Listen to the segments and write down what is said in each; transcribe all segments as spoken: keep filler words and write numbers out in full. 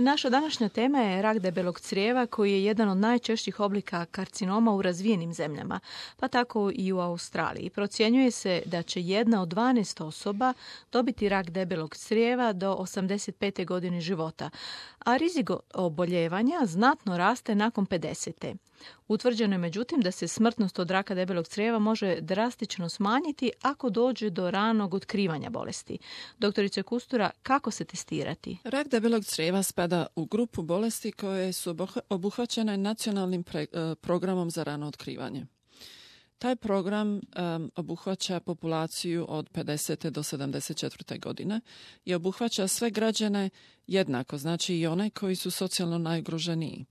Naša današnja tema je rak debelog crijeva koji je jedan od najčešćih oblika karcinoma u razvijenim zemljama, pa tako i u Australiji. Procjenjuje se da će jedna od dvanaest osoba dobiti rak debelog crijeva do osamdeset pete godine života, a rizik oboljevanja znatno raste nakon pedesete. Utvrđeno je međutim da se smrtnost od raka debelog crijeva može drastično smanjiti ako dođe do ranog otkrivanja bolesti. Doktorice Kustura, kako se testirati? Rak debelog crijeva spada u grupu bolesti koje su obuhvaćene nacionalnim pre, programom za rano otkrivanje. Taj program um, obuhvaća populaciju od pedesete do sedamdeset četvrte godine i obuhvaća sve građane jednako, znači i one koji su socijalno najugroženiji.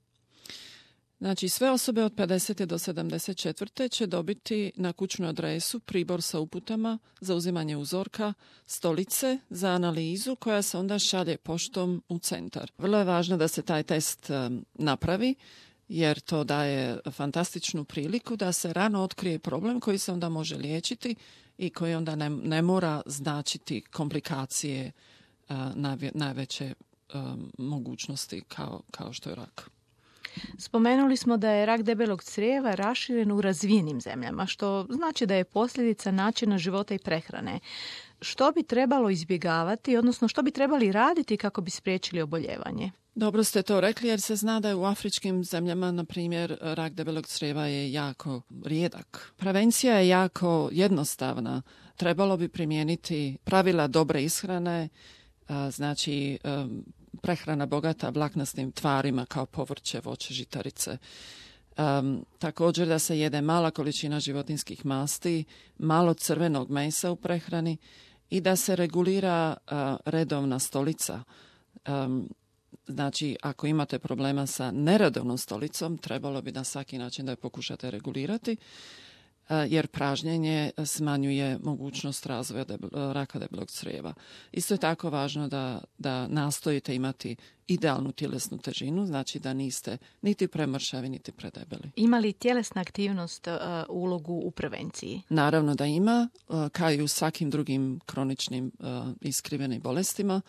Znači, sve osobe od pedesete do sedamdeset četvrte će dobiti na kućnu adresu pribor sa uputama za uzimanje uzorka, stolice za analizu koja se onda šalje poštom u centar. Vrlo je važno da se taj test um, napravi, jer to daje fantastičnu priliku da se rano otkrije problem koji se onda može liječiti i koji onda ne, ne mora značiti komplikacije uh, najve, najveće um, mogućnosti kao, kao što je rak. Spomenuli smo da je rak debelog crijeva raširen u razvijenim zemljama, što znači da je posljedica načina života i prehrane. Što bi trebalo izbjegavati, odnosno što bi trebali raditi kako bi spriječili oboljevanje? Dobro ste to rekli, jer se zna da je u afričkim zemljama, na primjer, rak debelog crijeva je jako rijedak. Prevencija je jako jednostavna. Trebalo bi primijeniti pravila dobre ishrane, znači prehrana bogata vlaknastim tvarima kao povrće, voće, žitarice. Um, također da se jede mala količina životinjskih masti, malo crvenog mesa u prehrani i da se regulira uh, redovna stolica. Um, znači, ako imate problema sa neredovnom stolicom, trebalo bi na svaki način da je pokušate regulirati, jer pražnjenje smanjuje mogućnost razvoja debel, raka debelog crijeva. Isto je tako važno da, da nastojite imati idealnu tjelesnu težinu, znači da niste niti premršavi, niti predebeli. Ima li tjelesna aktivnost uh, ulogu u prevenciji? Naravno da ima, uh, kao i u svakim drugim kroničnim uh, iskrivenim bolestima.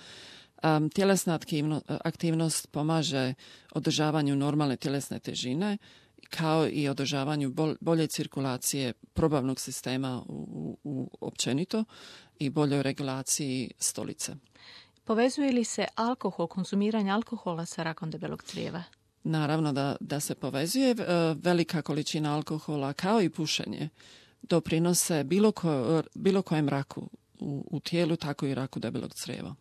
Um, tjelesna aktivno, aktivnost pomaže održavanju normalne tjelesne težine, kao i održavanju bolje cirkulacije probavnog sistema u, u, u općenito i boljoj regulaciji stolice. Povezuje li se alkohol, konzumiranje alkohola sa rakom debelog crijeva? Naravno da, da se povezuje. Velika količina alkohola kao i pušenje doprinose bilo, ko, bilo kojem raku u, u tijelu, tako i raku debelog crijeva.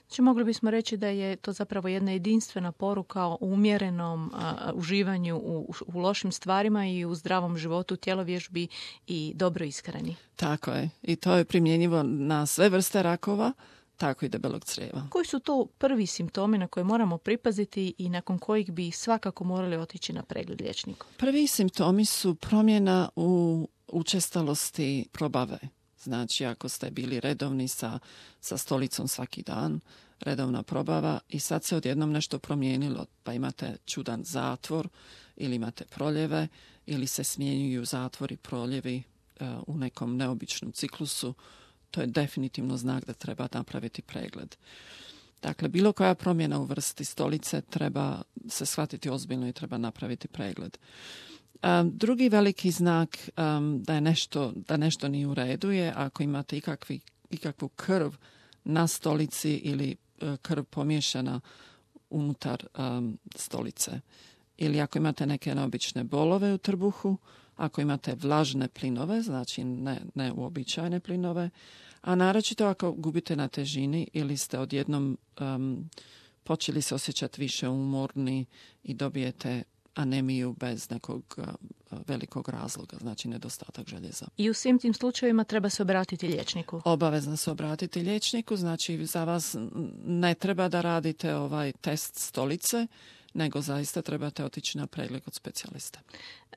Znači, mogli bismo reći da je to zapravo jedna jedinstvena poruka o umjerenom a, uživanju u, u lošim stvarima i u zdravom životu, tjelovježbi i dobro ishrani. Tako je. I to je primjenjivo na sve vrste rakova, tako i debelog crijeva. Koji su to prvi simptomi na koje moramo pripaziti i nakon kojih bi svakako morali otići na pregled liječniku? Prvi simptomi su promjena u učestalosti probave. Znači, ako ste bili redovni sa, sa stolicom svaki dan, redovna probava i sad se odjednom nešto promijenilo, pa imate čudan zatvor ili imate proljeve ili se smjenjuju zatvori, proljevi uh, u nekom neobičnom ciklusu, to je definitivno znak da treba napraviti pregled. Dakle, bilo koja promjena u vrsti stolice treba se shvatiti ozbiljno i treba napraviti pregled. Um, drugi veliki znak um, da je nešto, da nešto nije u redu je ako imate ikakvi, ikakvu krv na stolici ili uh, krv pomiješana unutar um, stolice. Ili ako imate neke neobične bolove u trbuhu, ako imate vlažne plinove, znači ne, ne uobičajene plinove, a naročito ako gubite na težini ili ste odjednom um, počeli se osjećati više umorni i dobijete anemiju bez nekog uh, velikog razloga, znači nedostatak željeza. I u svim tim slučajevima treba se obratiti liječniku? Obavezno se obratiti liječniku, znači za vas ne treba da radite ovaj test stolice, nego zaista trebate otići na pregled kod specijalista.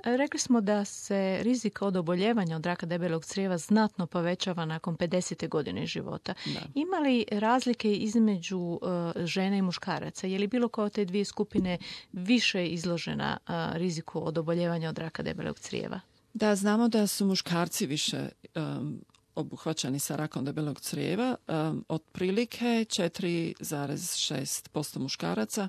Rekli smo da se rizik od oboljevanja od raka debelog crijeva znatno povećava nakon pedesete godine života. Da. Ima li razlike između uh, žene i muškaraca? Je li bilo koja od te dvije skupine više izložena uh, riziku od oboljevanja od raka debelog crijeva? Da, znamo da su muškarci više um, obuhvaćeni sa rakom debelog crijeva, um, otprilike četiri zarez šest posto muškaraca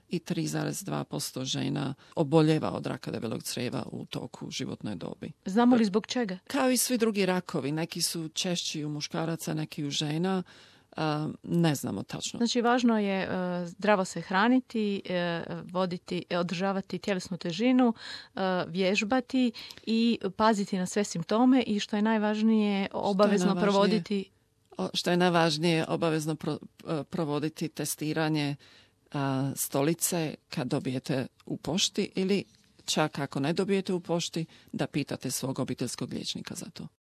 i tri zarez dva posto žena oboljeva od raka debelog crijeva u toku životne dobi. Znamo li zbog čega? Kao i svi drugi rakovi, neki su češći u muškaraca, neki u žena, uh, ne znamo tačno. Znači, važno je uh, zdravo se hraniti, uh, voditi, održavati tjelesnu težinu, uh, vježbati i paziti na sve simptome i što je najvažnije, obavezno je najvažnije? provoditi... O, što je najvažnije, obavezno pro, uh, provoditi testiranje a, stolice kad dobijete u pošti ili čak ako ne dobijete u pošti da pitate svog obiteljskog liječnika za to.